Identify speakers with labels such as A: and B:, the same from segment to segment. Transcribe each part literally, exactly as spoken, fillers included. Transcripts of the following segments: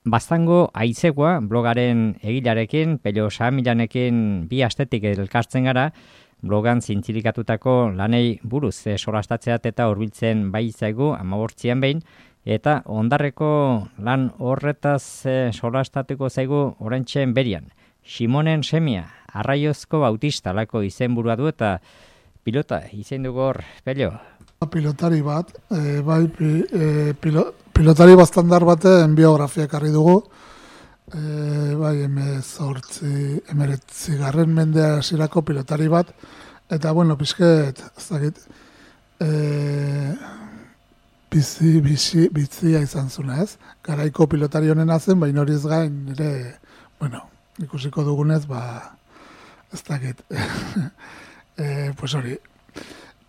A: Baztango Aizegoa blogaren egilarekin, Pello Saamilanekin bi astetik elkartzen gara, blogan zintzilikatutako lanei buruz e, solastatzeat eta hurbiltzen bai zaigu hamabortzian behin, eta ondarreko lan horretaz e, solastatuko zaigu oraintxe berian. Simonen semia, Arraiozko Bautista lako izenburua du eta pilota izen dugu hor, Pello.
B: Pilotari bat, e, bai e, pilo, pilotari bastandar baten biografia ekarri dugu, e, bai emezortzi, emeretzi garren mendea hasierako pilotari bat, eta bueno, pizket, ez dakit, e, bizi, bizi, bizia izan zuna ez, garaiko pilotari honena zen, baina hori ez gain, ere, bueno, ikusiko dugunez, ba, ez dakit, e, pues hori,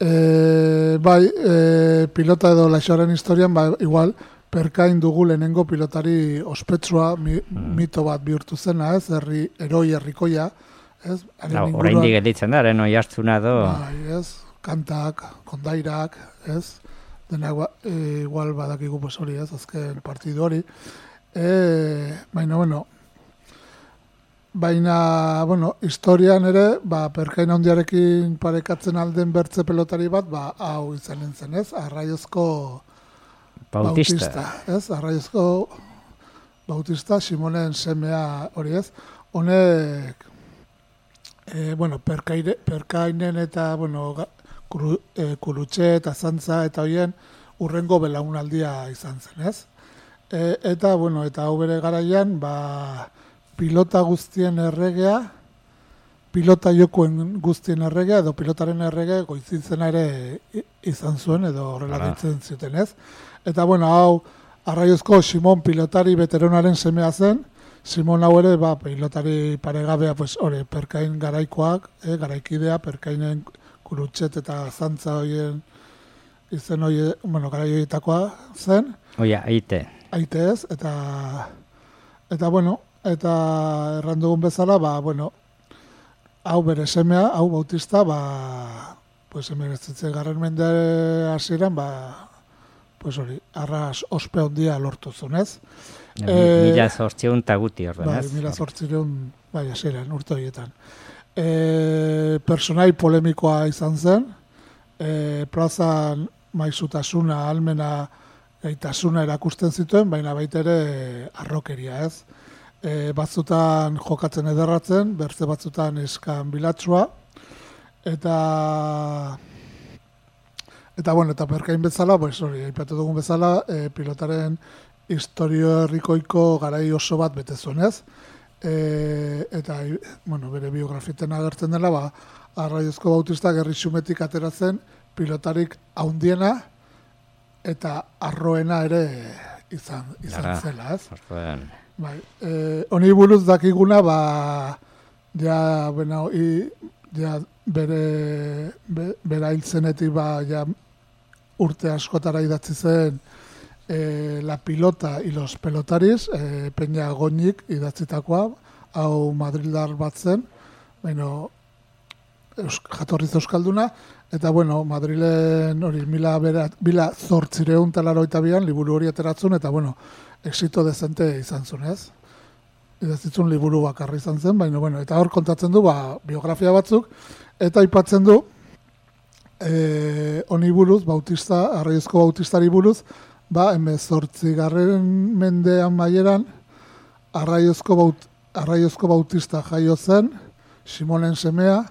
B: E, bai, e, pilota edo laixoaren historian, ba, igual, perkain dugu lehenengo pilotari ospetsua mi, mito bat bihurtu zena, ez, herri, eroi herrikoia, ez?
A: Orain digelitzen da, eren oi hartzuna do.
B: Bai, ez, kantak, kondairak, ez, dena e, igual badakigu pues hori, ez, azken partidu hori. E, baina, bueno, Baina, bueno, historian ere, ba, perkain handiarekin parekatzen alden bertze pelotari bat, ba, hau izanen zen, ez? Arraiozko
A: Bautista.
B: Bautista, ez? Arraiozko Bautista, Simonen semea hori, ez? Honek, e, bueno, perkaire, perkainen eta, bueno, kuru, e, kurutxe eta zantza eta hoien urrengo belaunaldia izan zen, ez? E, eta, bueno, eta hau bere garaian, ba, pilota guztien erregea, pilota jokoen guztien erregea, edo pilotaren errege goizizena ere izan zuen, edo horrela ditzen zuten ez. Eta bueno, hau, Arraiozko Simon pilotari veteranaren semea zen, Simon hau ere, ba, pilotari paregabea, pues, hori, perkain garaikoak, eh, garaikidea, perkainen kurutxet eta zantza horien izen hori, bueno, garai horietakoa zen.
A: Oia, aite.
B: Aite ez, eta, eta bueno, eta errandugun bezala, ba, bueno, hau bere semea, hau Bautista, ba, pues, emeretzitzen garren mende hasieran, ba, pues hori, arras ospe hondia lortu zunez.
A: Mila zortzireun taguti horren,
B: bai,
A: ez?
B: Mila zortzireun, bai, hasieran, urte horietan. E, personai polemikoa izan zen, e, plazan maizutasuna, almena, gaitasuna erakusten zituen, baina baita ere arrokeria, ez? E, batzutan jokatzen ederratzen, bertze batzutan eskan bilatsua, eta eta bueno, eta perkain bezala, pues hori, aipatu dugun bezala, e, pilotaren historio herrikoiko garai oso bat bete zuenez, e, eta bueno, bere biografiten agertzen dela, ba, Arraiozko Bautista gerri xumetik ateratzen pilotarik haundiena eta arroena ere izan, izan
A: Lara,
B: zela, ez?
A: Orduan.
B: Bai, eh, honi buruz dakiguna, ba, ja, bueno, i, ja, bere, be, bera hiltzenetik, ba, ja, urte askotara idatzi zen eh, La pilota y los pelotaris, eh, Peña Goñik idatzitakoa, hau madrildar bat zen, bueno, eusk, jatorriz euskalduna, eta, bueno, Madrilen hori mila, mila zortzireun talaroita bian, liburu hori ateratzen, eta, bueno, exito dezente izan zuen, ez? Idazitzun liburu bakarri izan zen, baina, bueno, eta hor kontatzen du, ba, biografia batzuk, eta aipatzen du, eh, honi buruz, Bautista, Arraiozko Bautistari buruz, ba, hemezortzi garren mendean maieran, Arraiozko, Baut, Arraiozko Bautista jaio zen, Simonen semea,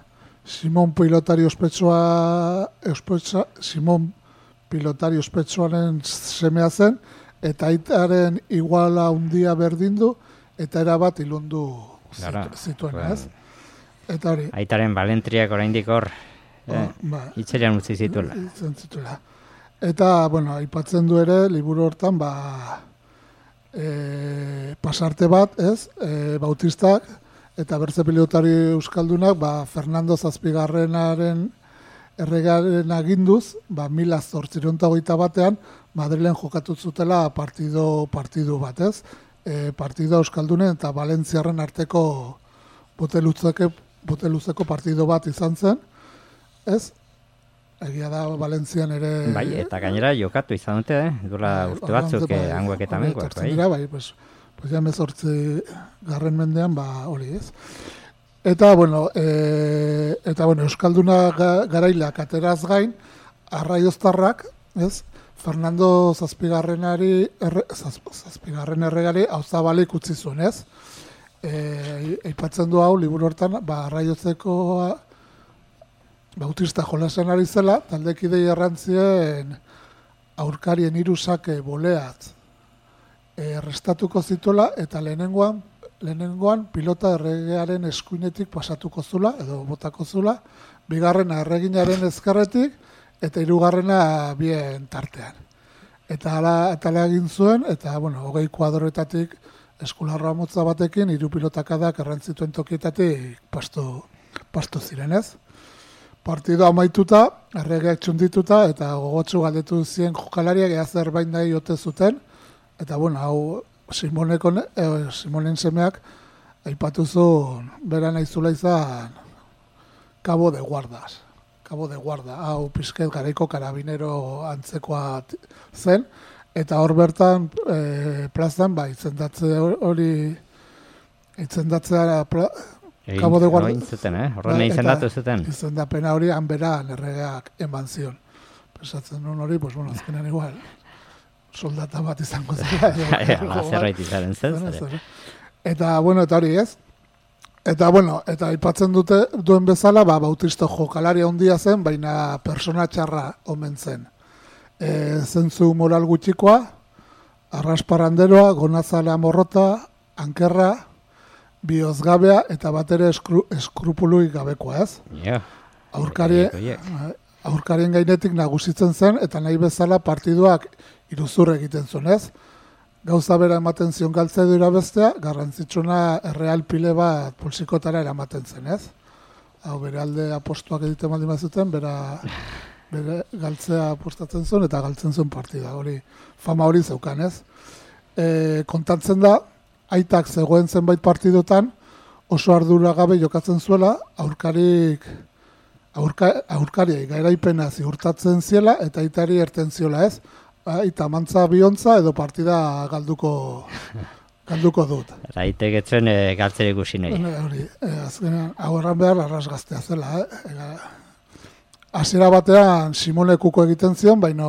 B: Simon pilotari ospetsua, ospetsa, Simon pilotari ospetsuaren semea zen, eta aitaren iguala handia berdin du, eta erabat ilundu zituen, ez? Eta hori.
A: Aitaren balentriak oraindik hor, eh,
B: ba,
A: itxerean utzi zituela.
B: zituela. Eta, bueno, aipatzen du ere, liburu hortan, ba, e, pasarte bat, ez? E, Bautistak, eta bertze pilotari euskaldunak, ba, Fernando Zazpigarrenaren erregaren aginduz, ba, mila zortzireun eta hogeita batean, Madrilen jokatu zutela partido, partidu bat, ez? E, partido euskaldunen eta Valentziarren arteko boteluzeko, boteluzeko partido bat izan zen, ez? Egia da Valentzian ere...
A: Bai, eta gainera jokatu izan dute, eh? Dura urte batzuk,
B: bai,
A: hangoak eta mengoak, bai?
B: Dira, bai, pues, pues ja hemezortzi garren mendean, ba, hori ez. Eta, bueno, e, eta, bueno, Euskalduna garailak ateraz gain, arraioztarrak, ez, Fernando Zazpigarrenari, erre, zaz, Zazpigarren erregari hauzabalik utzi zuen, ez? E, eipatzen du hau, liburu hortan, ba, arraiozeko bautista jolasen ari zela, taldekidei errantzien aurkarien irusake boleat errestatuko zituela, eta lehenengoan, lehenengoan pilota erregearen eskuinetik pasatuko zula, edo botako zula, bigarrena erreginaren ezkerretik, eta hirugarrena bien tartean. Eta ala, eta ala egin zuen, eta, bueno, hogei kuadroetatik eskularroa motza batekin, hiru pilotakadak errantzituen tokietatik pastu, pastu zirenez. Partido amaituta, erregeak txundituta, eta gogotsu galdetu zien jokalariak ea zerbait nahi ote zuten, eta, bueno, hau Simoneko, eh, Simonen semeak aipatu zuen bera nahi zula izan Cabo de Guardas. Cabo de Guarda, hau pizket garaiko karabinero antzekoa zen, eta hor bertan e, plazan, ba, itzendatze hori, itzendatzea pla, Cabo de Guarda.
A: Zuten, eh? Horren ba, izendatu zuten.
B: Izendapena hori hanberan erregeak eman zion. Pensatzen nuen hori, pues, bueno, azkenean igual, soldata bat izango zera.
A: Zerbait izaren zen.
B: Eta, bueno, eta hori ez. Eta, bueno, eta aipatzen dute duen bezala, ba, Bautisto jokalaria handia zen, baina persona txarra omen zen. E, zentzu moral gutxikoa, arrasparanderoa, gonazalea morrota, ankerra, bihozgabea, eta bat ere eskru, eskrupuluik gabekoa, ez?
A: Yeah.
B: Aurkari, aurkarien gainetik nagusitzen zen, eta nahi bezala partiduak iruzur egiten zuen, ez? Gauza bera ematen zion galtzedura bestea, garrantzitsuna erreal pile bat pulsikotara eramaten zen, ez? Hau, bere alde apostuak egiten baldin bazuten, bera, bere galtzea apostatzen zuen, eta galtzen zuen partida, hori, fama hori zeukan, ez? E, kontatzen da, aitak zegoen zenbait partidotan, oso ardura gabe jokatzen zuela, aurkarik, aurka, aurkariai gairaipena ziurtatzen ziela, eta aitari erten ziola, ez? Eta mantza biontza edo partida galduko galduko dut.
A: Aitek etzen e, galtzere ikusi nahi.
B: Hori, e, azkenean, hau erran behar arras gaztea zela. Eh? Hasiera batean Simonekuko egiten zion, baino,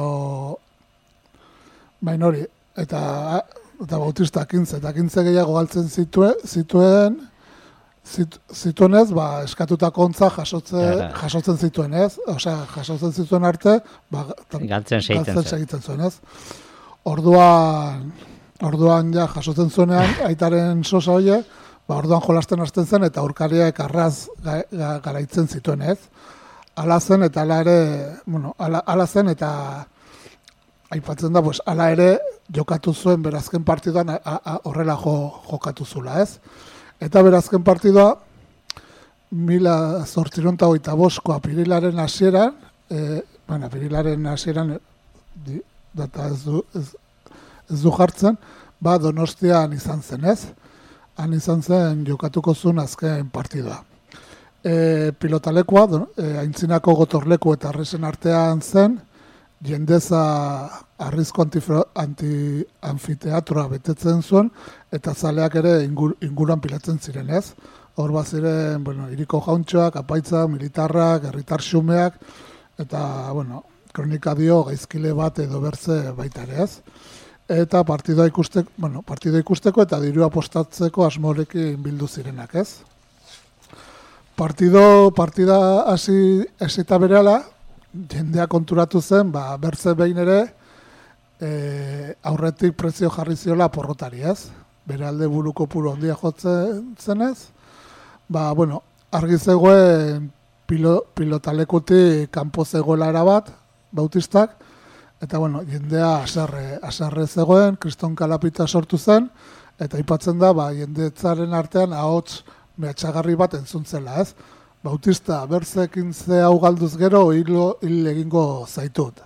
B: baino hori, eta, eta Bautista kintze, eta kintze gehiago galtzen zituen, zituen Zit, zituenez, ba, eskatutako ontza jasotze, jasotzen zituen, ez? Osea, jasotzen zituen arte, ba,
A: galtzen
B: segitzen zuen, ez? Orduan, orduan ja jasotzen zuenean, aitaren sosa hoe, ba, orduan jolasten hasten zen, eta aurkariak arraz ga, ga, garaitzen zituen, ez? Ala zen, eta ala ere, bueno, ala, ala zen, eta aipatzen da, pues, ala ere jokatu zuen berazken partiduan horrela jo, jokatu zula, ez? Eta berazken partidua, mila zortziron eta hogeita bosko apirilaren hasieran, e, bueno, apirilaren hasieran, di, data ez du, ez, ez du jartzen, ba Donostian izan zen, ez? Han izan zen jokatuko zuen azken partidua. E, pilotalekua, e, aintzinako gotorleku eta arresen artean zen, jendeza arrizko anti, anfiteatroa betetzen zuen, eta zaleak ere ingur, inguruan pilatzen ziren, ez? Hor bat ziren, bueno, iriko jauntxoak, apaitza, militarrak, herritar xumeak, eta, bueno, kronika dio gaizkile bat edo bertze baita ere, ez? Eta partidua ikusteko, bueno, partidua ikusteko eta dirua postatzeko asmorekin bildu zirenak, ez? Partido, partida hasi esita berehala, jendea konturatu zen, ba, bertze behin ere, e, aurretik prezio jarri ziola porrotari, ez? Bere alde buruko puru handia jotzen zenez, ba, bueno, argi zegoen pilo, pilotalekutik kanpo zegoela erabat, Bautistak, eta, bueno, jendea asarre, asarre zegoen, kriston kalapita sortu zen, eta aipatzen da, ba, jendetzaren artean ahots mehatxagarri bat entzuntzela, ez? Bautista, berzekin ze hau galduz gero, hilo hil egingo zaitut.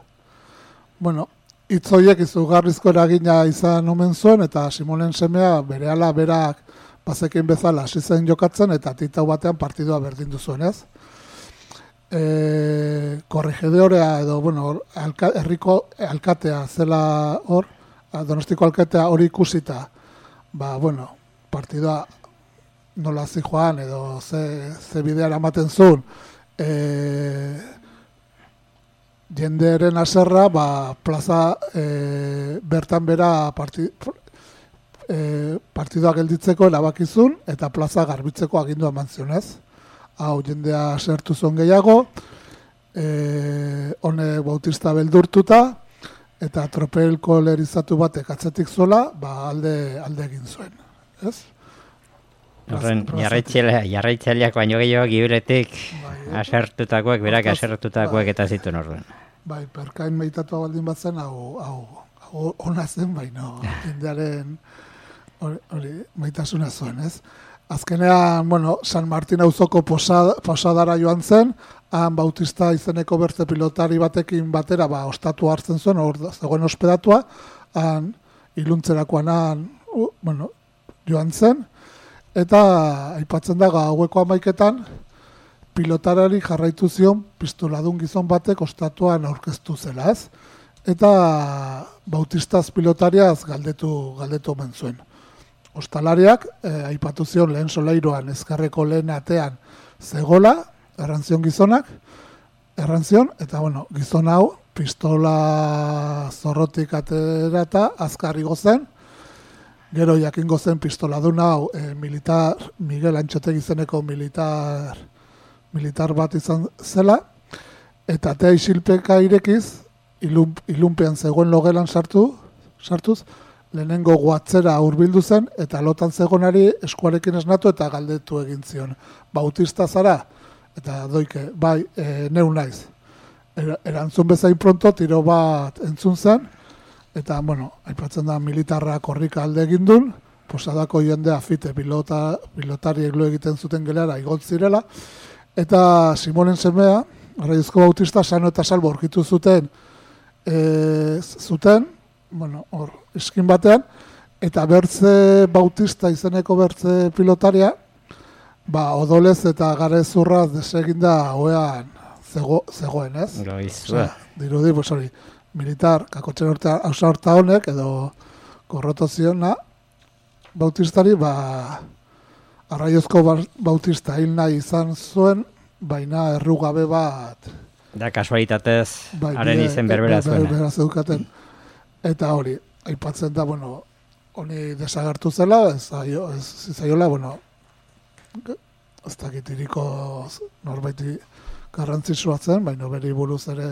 B: Bueno, hitzoiek izugarrizko eragina izan omen zuen, eta Simonen semea berehala berak bazekin bezala hasi zen jokatzen, eta titau batean partidua berdindu zuen, ez? E, korregedorea edo, bueno, alka, herriko alkatea zela hor, Donostiko alkatea hori ikusita, ba, bueno, partidua nola zi joan edo ze, ze bidea eramaten zuen, e, jendearen aserra, ba, plaza e, bertan bera parti, e, partidua gelditzeko erabakizun eta plaza garbitzeko agindua eman zionez. Hau jendea asertu zuen gehiago, e, hone Bautista beldurtuta, eta tropel kolerizatu batek atzetik zuela, ba, alde, alde egin zuen. Ez?
A: Horren, jarraitzaileak baino gehiago gibiletik asertutakoak, berak asertutakoak eta zituen horren.
B: Bai, perkain meitatua baldin bat zen, hau, hau, hau ona zen, baino, jendearen hori maitasuna zuen, ez? Azkenean, bueno, San Martin auzoko posada, posadara joan zen, han Bautista izeneko bertze pilotari batekin batera, ba, ostatu hartzen zuen, hor zegoen ospedatua, han iluntzerakoan han, uh, bueno, joan zen, eta aipatzen da gaueko hamaiketan pilotarari jarraitu zion pistoladun gizon batek ostatuan aurkeztu zela, ez? Eta Bautistaz pilotariaz galdetu galdetu omen zuen. Ostalariak eh, aipatu zion lehen solairuan ezkarreko lehen atean zegola, errantzion gizonak, errantzion, eta bueno, gizon hau pistola zorrotik aterata azkarri gozen, gero jakingo zen pistoladun hau e, militar, Miguel Antxotegi izeneko militar, militar bat izan zela, eta atea isilpeka irekiz, ilun, ilunpean zegoen logelan sartu, sartuz, lehenengo guatzera hurbildu zen, eta lotan zegonari eskuarekin esnatu eta galdetu egin zion. Bautista zara? Eta doike, bai, e, neu naiz. Er, erantzun bezain pronto, tiro bat entzun zen, eta, bueno, aipatzen da militarra korrika alde egin duen, posadako jendea fite pilota, pilotariek lo egiten zuten gelara igot zirela, eta Simonen semea, Arraizko Bautista, sano eta salbo aurkitu zuten, e, zuten, bueno, hor, eskin batean, eta bertze Bautista izeneko bertze pilotaria, ba, odolez eta garezurraz deseginda hoean zego, zegoen, ez?
A: Osea,
B: dirudi, pues hori, militar, kakotxen horta, hausa horta honek, edo korroto ziona, Bautistari, ba, Arraiozko Bautista hil nahi izan zuen, baina errugabe bat...
A: Da, kasualitatez,
B: bai,
A: haren izen berbera zuen.
B: Berbera zeukaten. Eta hori, aipatzen da, bueno, honi desagertu zela, ez, aio, ez zaiola, bueno, ez dakitiriko norbaiti garrantzitsua zen, baina beri buruz ere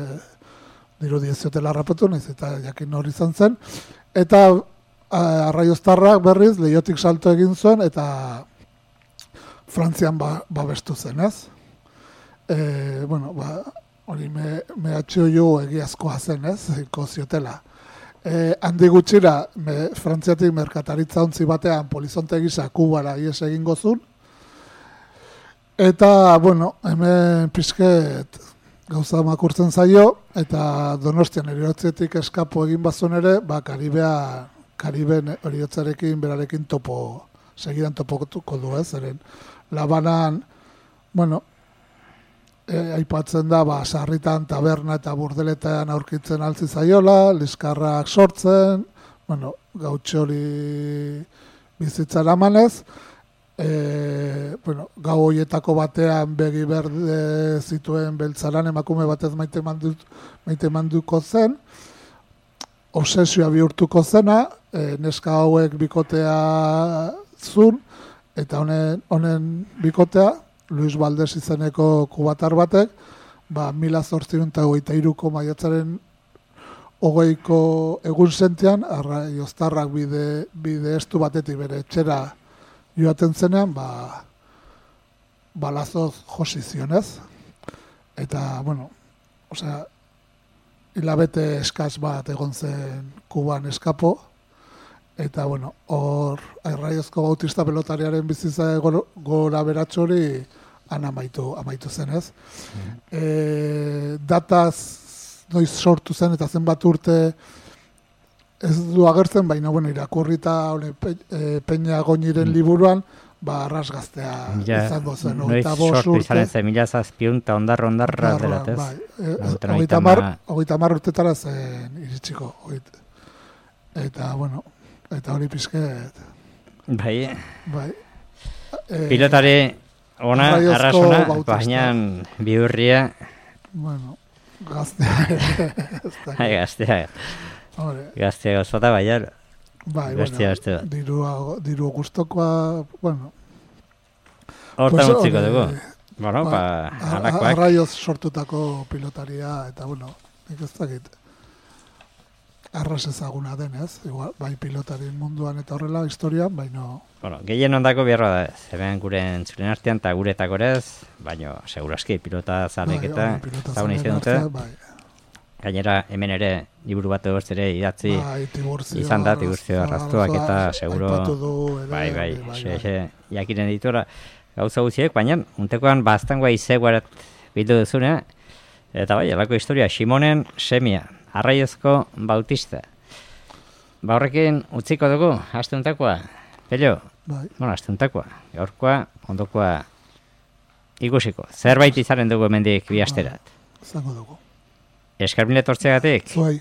B: dirudi ez ziotela harrapatu, nahiz eta jakin hori izan zen. Eta Arraioztarrak berriz lehiotik salto egin zuen, eta Frantzian ba, babestu zen, ez? E, bueno, ba, hori me, mehatxio jo egiazkoa zen, ez? Iko ziotela. E, handi gutxira, me, Frantziatik merkataritza ontzi batean polizonte gisa Kubara ies egingo zuen. Eta, bueno, hemen pixket gauza makurtzen zaio, eta Donostian eriotzetik eskapo egin bazuen ere, ba, Karibea, Kariben eriotzarekin berarekin topo, segidan topotuko du, ez? Eren, Labanan, bueno, e, aipatzen da, ba, sarritan, taberna eta burdeletan aurkitzen altzi zaiola, liskarrak sortzen, bueno, gautxori bizitzara manez, e, bueno, gau hoietako batean begi berde zituen beltzaran emakume batez maite, mandu, maite manduko zen, obsesioa bihurtuko zena, e, neska hauek bikotea zun, eta honen, honen bikotea, Luis Valdez izeneko kubatar batek, ba, mila zortziehun eta hogeita hiruko maiatzaren hogeiko egun sentian, Arraioztarrak bide, bide estu batetik bere etxera joaten zenean, ba, balazoz josi zionez. Eta, bueno, osea, hilabete eskaz bat egon zen Kuban eskapo, eta, bueno, hor Arraiozko Bautista pelotariaren bizitza gora beratxori han amaitu, amaitu zenez. Mm. E, dataz noiz sortu zen eta zenbat urte ez du agertzen, baina, bueno, irakurrita pe, e, Peña Goñiren liburuan, ba, arrasgaztea izango zen.
A: Noiz sortu izan ez, mila zazpiun eta ondarra ondarra delatez.
B: Bai, hogeita mar urtetara zen iritsiko. Eta, bueno, eta hori pizket.
A: Bai.
B: Bai.
A: Pilotari ona, arrasona, baina bihurria.
B: Bueno, gaztea.
A: Hai, gaztea. Gaztea gozota, baina.
B: Bai, bueno, dirua, diru gustokoa, bueno.
A: Hortan utziko dugu. Bueno, ba, alakoak.
B: Arraioz sortutako pilotaria, eta bueno, nik ez dakit. Arras ezaguna denez, igual, bai pilotarien munduan eta horrela, historian, baino...
A: Bueno, gehien ondako biarra da, zeben gure entzulen artean eta gure etakorez, baino, seguraski, pilota zalek eta zagun izan dute. Bai. Gainera, hemen ere, liburu bat egoz ere idatzi
B: bai,
A: izan da, Tiburtzio arraztuak eta seguro... Bai, bai, xe, xe, jakinen ditura gauza guztiek, baina, untekoan baztangoa izeguarat bildu duzune, eta bai, alako historia, Simonen semia. Arraiozko Bautista. Ba horrekin utziko dugu, asteuntakoa. Pello,
B: bai.
A: Bueno, asteuntakoa. Gaurkoa, ondokoa ikusiko. Zerbait izaren dugu hemendik bi asterat.
B: Zango dugu.
A: Eskarmile tortzegatik.
B: Zuai.